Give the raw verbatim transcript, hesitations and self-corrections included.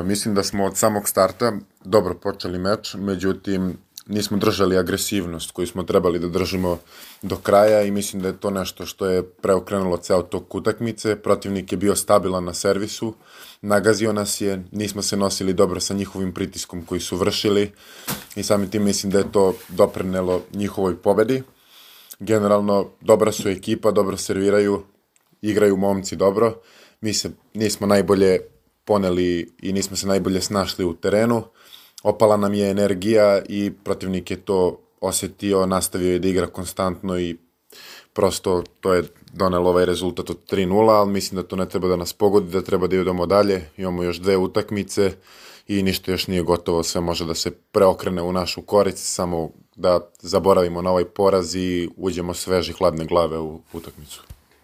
Mislim da smo od samog starta dobro počeli meč, međutim nismo držali agresivnost koju smo trebali da držimo do kraja i mislim da je to nešto što je preokrenulo ceo tok utakmice. Protivnik je bio stabilan na servisu, nagazio nas je, nismo se nosili dobro sa njihovim pritiskom koji su vršili i samim tim mislim da je to doprinelo njihovoj pobedi. Generalno, dobra su ekipa, dobro serviraju, igraju momci dobro. Mi se nismo najbolje poneli i nismo se najbolje snašli u terenu. Opala nam je energija i protivnik je to osetio, nastavio je da igra konstantno i prosto to je donelo ovaj rezultat od tri nula, ali mislim da to ne treba da nas pogodi, da treba da idemo dalje. Imamo još dve utakmice i ništa još nije gotovo, sve može da se preokrene u našu korist, samo da zaboravimo na ovaj poraz i uđemo sveže hladne glave u utakmicu.